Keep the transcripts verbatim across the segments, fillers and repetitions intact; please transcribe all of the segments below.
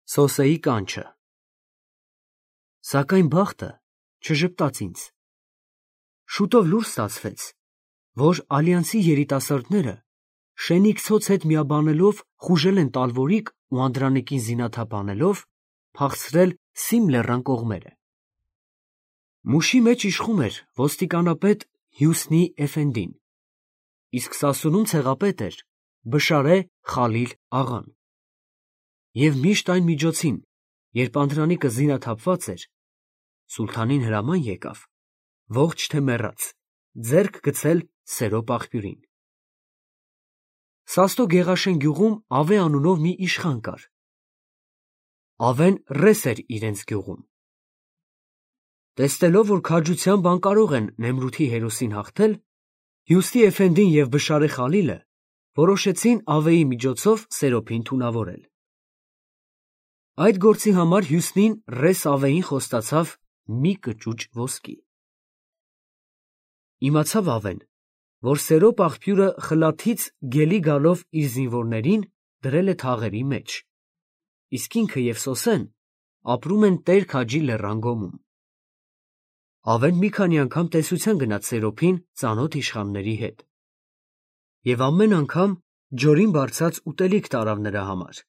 Սոսեի կանչը։ Սակայն բախտը չժպտաց ինձ։ Շուտով լուր ստացվեց, որ ալյանսի երիտասարդները շենիքցոց հետ միաբանելով խուժել են տալվորիկ ու անդրանիկին զինաթափ անելով փախցրել Սիմ լեռան կողմերը։ Մուշի մեջ իշխում էր ոստիկանապետ Հյուսնի Էֆենդին, իսկ սասունում ցեղապետ էր Բշարե Խալիլ աղան։ Եվ միշտ այն միջոցին, երբ անդրանիկը զինաթափված էր, սուլթանին հրաման եկավ, ողջ թե մեռած, ձեռք գցել Սերոպ աղբյուրին։ Սաստո Գեղաշեն գյուղում Ավե անունով մի իշխան կար։ Ավեն ռես էր իրենց գյուղում։ Տեսնելով, որ քաջությամբ անկարող են Նեմրութի հերոսին հաղթել, Հյուսնի Էֆենդին և Բշարե Խալիլը որոշեցին Ավեի միջոցով Սերոփին թունավորել։ Այդ գործի համար Հյուսնին ռես Ավեին խոստացավ մի կճուճ ոսկի։ Իմացավ Ավեն, որ Սերոպ աղբյուրը Խլաթից գելի գալով իր զինվորներին դրել է թաղերի մեջ, իսկ ինքը և Սոսեն ապրում են Տեր-Քաջի լեռան գոմում։ Ավեն մի քանի անգամ տեսության գնաց Սերոփին ծանոթ իշխանների հետ, և ամեն անգամ ջորին բարձած ուտելիք տարավ նրա համար,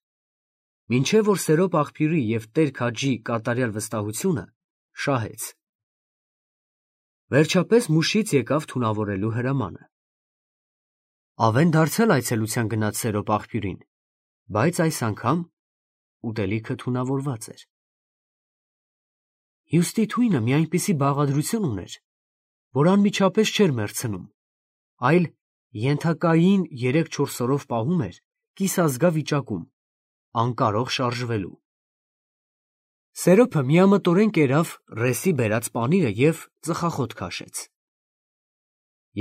մինչև որ Սերոպ աղբյուրի և Տեր-Քաջի կատարյալ վստահությունը շահեց։ Վերջապես Մուշից եկավ թունավորելու հրամանը։ Ավեն դարձյալ այցելության գնաց Սերոպ աղբյուրին, բայց այս անգամ ուտելիքը թունավորված էր։ Հյուսնի թույնը մի այնպիսի բաղադրություն ուներ, որ անմիջապես չէր մեռցնում, այլ ենթակային երեք-չորս օրով պահում էր կիսազգա վիճակում, անկարող շարժվելու։ Սերոփը միամտորեն կերավ ռեսի բերած պանիրը և ծխախոտ քաշեց։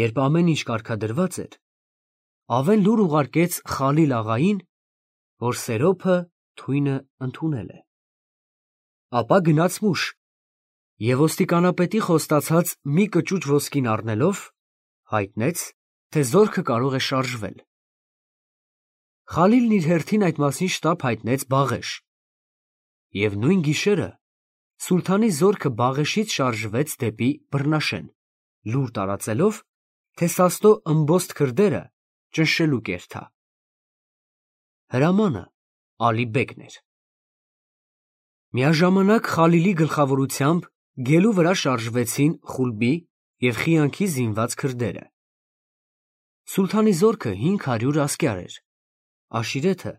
Երբ ամեն ինչ կարգադրված էր, Ավեն լուր ուղարկեց Խալիլ աղային, որ Սերոփը թույնը ընդունել է։ Ապա գնաց Մուշ և ոստիկանապետի խոստացած մի կճուճ ոսկին առնելով, հայտնեց, թե զորքը կարող է շարժվել։ Խալիլն իր հերթին այդ մասին շտապ հայտնեց Բաղեշ, և նույն գիշերը սուլթանի զորքը Բաղեշից շարժվեց դեպի Բռնաշեն, լուր տարածելով, թե Սաստո ըմբոստ քրդերը ճնշելու կերթա։ Հրամանը Ալի֊բեգն էր։ Միաժամանակ Խալիլի գլխավորությամբ գելու վրա շարժվեցին Խուլբի և Խիանքի զինված քրդերը։ Սուլթանի զորքը հինգ հարյուր ասկյար էր, Աշիրեթը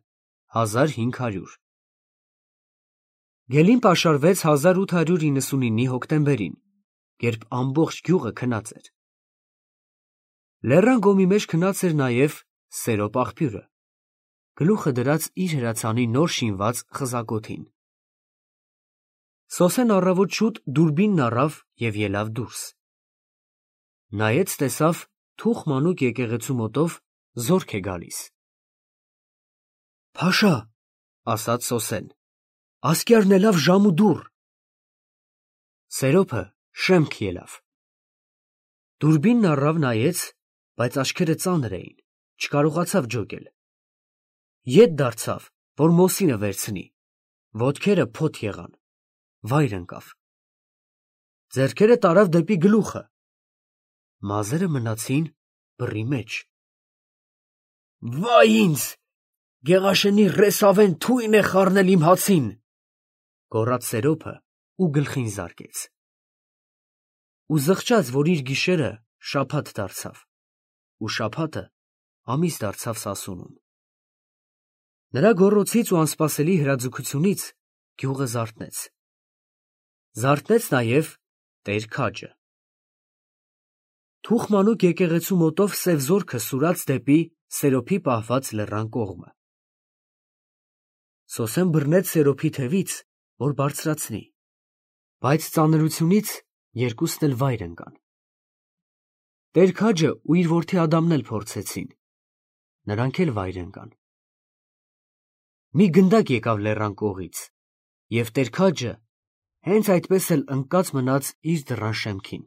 հազար հինգ հարյուր։ Գելին պաշարվեց հազար ութ հարյուր իննսունիննի հոկտեմբերին, երբ ամբողջ գյուղը քնած էր։ Լեռան գոմի մեջ քնած էր նաև Սերոպ աղբյուրը, գլուխը դրած իր հրացանի նոր շինված խզակոթին։ Սոսեն առավոտ շուտ դուրբինն առավ և ելավ դուրս։ Նայեց, տեսավ Թուխ մանուկ եկեղեցու մոտով զորք է գալիս։ «Փաշա», ասաց Սոսեն, «ասկյարն ելավ ժամու դուռ»։ Սերոփը շեմք ելավ։ Դուրբինն առավ, նայեց, բայց աչքերը ծանր էին, չկարողացավ ջոկել։ Ետ դարձավ, որ Մոսինը վերցնի, ոտքերը փոթ եղան, վայր ընկավ։ Ձեռքերը տարավ դեպի գլուխը, մազերը մնացին բռի մեջ։ «Վայ ինձ, Գեղաշենի ռես Ավեն թույն է խառնել իմ հացին», գոռաց Սերոփը ու գլխին զարկեց։ Ու զղջաց, որ իր գիշերը շաբաթ դարձավ, ու շաբաթը ամիս դարձավ Սասունում։ Նրա գոռոցից ու անսպասելի հրաձգությունից գյուղը զարթնեց։ Զարթնեց նաև Տեր-Քաջը։ Թուխ մանուկ եկեղեցու մոտով սև զորքը սուրաց դեպի Սերոփի պահված լեռան կողմը։ Սոսեն բռնեց Սերոփի թևից, որ բարձրացնի, բայց ծանրությունից երկուսն էլ վայր ընկան։ Տեր-Քաջը ու իր որդի Ադամն էլ փորձեցին, նրանք էլ վայր ընկան։ Մի գնդակ եկավ լեռան կողից, և Տեր-Քաջը հենց այդպես էլ ընկած մնաց իր դռան շեմքին։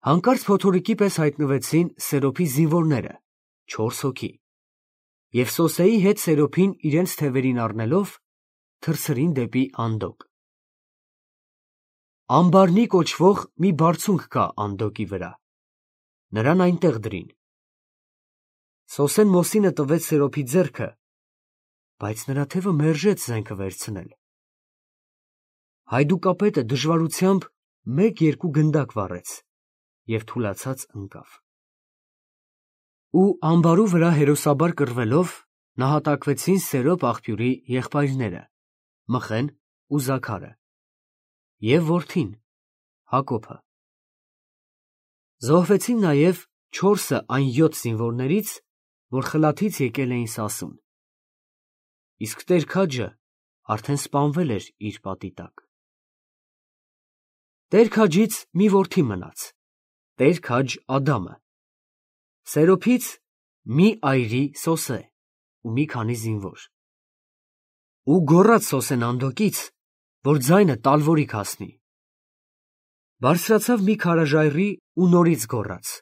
Հանկարծ փոթորիկի պես հայտնվեցին Սերոփի զինվորները, չորս հոգի։ և Սոսեի հետ Սերոփին իրենց թևերին առնելով թռցրին դեպի Անդոկ։ Ամբարնի կոչվող մի բարձունք կա Անդոկի վրա, նրան այնտեղ դրին։ Սոսեն Մոսինը տվեց Սերոփի ձեռքը, բայց նրա թևը մերժեց զենքը վերցնել։ Հայդուկապետը դժվարությամբ մեկ-երկու գնդակ վառեց և թուլացած ընկավ։ Ու ամբարու վրա հերոսաբար կռվելով նահատակվեցին Սերոփ աղբյուրի եղբայրները Մխեն ու Զաքարը և որդին Հակոբը։ Զոհվեցին նաև չորսը այն յոթ զինվորներից, որ Խլաթից եկել էին Սասուն, իսկ տեր-քաջը արդեն սպանվել էր իր պատի տակ։ Տեր-քաջից մի որդի մնաց, տեր-քաջ Ադամը, Սերոփից մի այրի Սոսե ու մի քանի զինվոր։ Ու գոռաց Սոսեն Անդոկից, որ ձայնը տալվորիկ հասնի։ Բարձրացավ մի քարաժայռի ու նորից գոռաց.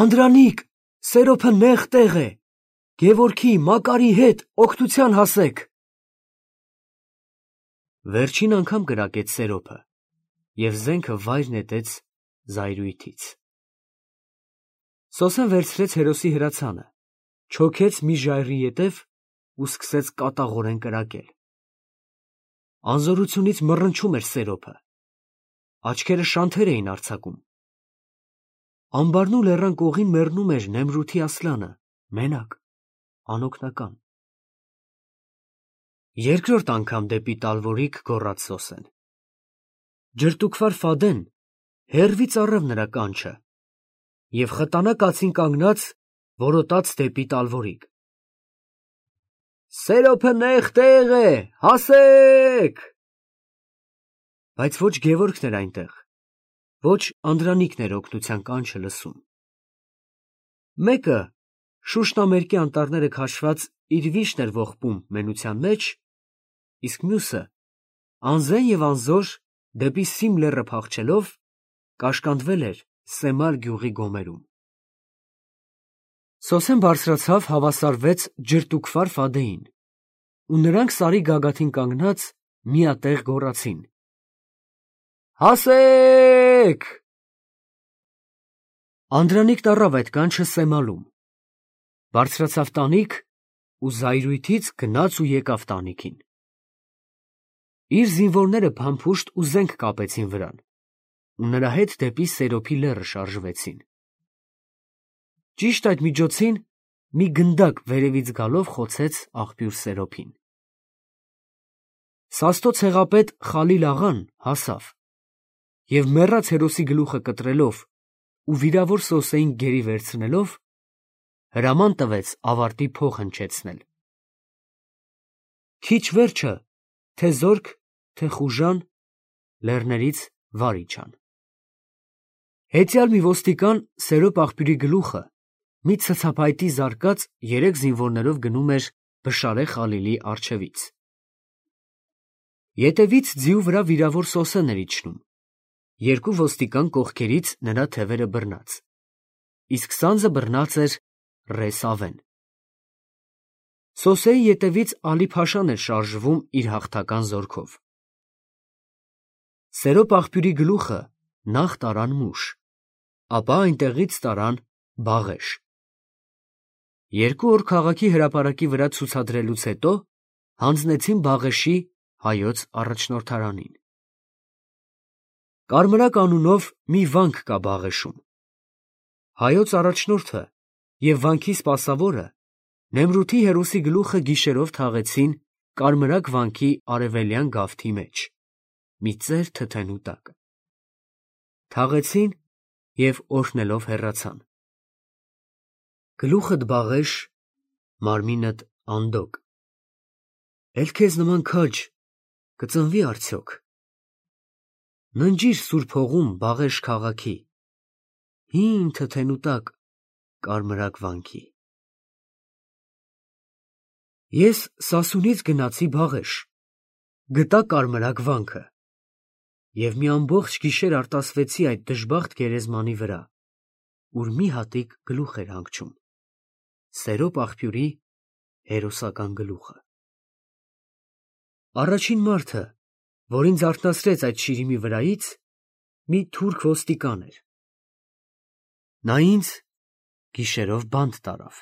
«Անդրանիկ, Սերոփը նեղ տեղ է, Գևորգի, Մակարի հետ օգնության հասեք»։ Վերջին անգամ կրակեց Սերոփը և զենքը վայր նետեց զայրույթից։ Սոսեն վերցրեց հերոսի հրացանը, չոքեց մի ժայռի ետև ու սկսեց կատաղորեն կրակել։ Անզորությունից մռնչում էր Սերոփը, աչքերը շանթեր էին արձակում։ Ամբարն ու լեռան կողին մեռնում էր Նեմրութի Ասլանը, մենակ, անօգնական։ Երկրորդ անգամ դեպի տալվորիկ գոռաց Սոսեն։ Ջրտուկվար Ֆադեն հեռվից առավ նրա կանչը և խտանա կացին կանգնած որոտաց դեպի տալվորիկ. «Սերոփը նեղ տեղ է, հասեք»։ Բայց ոչ Գևորգն էր այնտեղ, ոչ Անդրանիկն էր օգնության կանչը լսում։ Մեկը շուշնամերկի անտառները քաշված իր վիշտն էր ողբում մենության մեջ, իսկ մյուսը անզեն և անզոր դեպի Սիմ լեռը փախչելով կաշկանդվել էր Սեմար գյուղի գոմերում։ Սոսեն բարձրացավ հավասարվեց ջրտուկվար Ֆադեին, ու նրանք սարի գագաթին կանգնած միատեղ գոռացին. «Հասեք»։ Անդրանիկն առավ այդ կանչը Սեմալում, բարձրացավ տանիք ու զայրույթից գնաց ու եկավ տանիքին։ Իր զինվորները փամփուշտ ու զենք կապեցին վրան ու նրա հետ դեպի Սերոփի լեռը շարժվեցին։ Ճիշտ այդ միջոցին մի գնդակ վերևից գալով խոցեց աղբյուր Սերոփին։ Սաստո ցեղապետ Խալիլ աղան հասավ և մեռած հերոսի գլուխը կտրելով ու վիրավոր Սոսեին գերի վերցնելով հրաման տվեց ավարտի փող հնչեցնել։ Քիչ վերջը թե զորք, թե խուժան լեռներից վար իջան։ Հեծյալ մի ոստիկան Սերոփ աղբյուրի գլուխը մի ցցափայտի զարկած երեք զինվորներով գնում էր Բշարե Խալիլի առջևից։ Ետևից ձիու վրա վիրավոր Սոսեն էր իջնում, երկու ոստիկան կողքերից նրա թևերը բռնած, իսկ սանձը բռնած էր Ռեսավեն։ Սոսեի ետևից Ալի-Փաշան էր շարժվում իր հաղթական զորքով։ Սերոփ աղբյուրի գլուխը նախ տարան Մուշ, ապա այնտեղից տարան Բաղեշ։ Երկու օր քաղաքի հրապարակի վրա ցուցադրելուց հետո հանձնեցին Բաղեշի հայոց առաջնորդարանին։ Կարմրակ անունով մի վանք կա Բաղեշում։ Հայոց առաջնորդը և վանքի սպասավորը Նեմրութի հերոսի գլուխը գիշերով թաղեցին կարմրակ վանքի արևելյան գավթի մեջ, մի ծեր թթենու տակ։ Թաղեցին և օրհնելով հեռացան։ Գլուխդ Բաղեշ, մարմինդ Անդոկ։ Էլ քեզ նման քաջ կծնվի արդյոք։ Ննջիր սուրբ հողում Բաղեշ քաղաքի, հին թթենու տակ կարմրակ վանքի։ Ես Սասունից գնացի Բաղեշ, գտա կարմրակ վանքը և մի ամբողջ գիշեր արտասվեցի այդ դժբախտ գերեզմանի վրա, ուր մի հատիկ գլուխ էր հանգչում։ Սերոպ աղբյուրի հերոսական գլուխը։ Առաջին մարդը, որ ինձ արթնացրեց այդ շիրիմի վրայից, մի թուրք ոստիկան էր։ Նա ինձ գիշերով բանտ տարավ։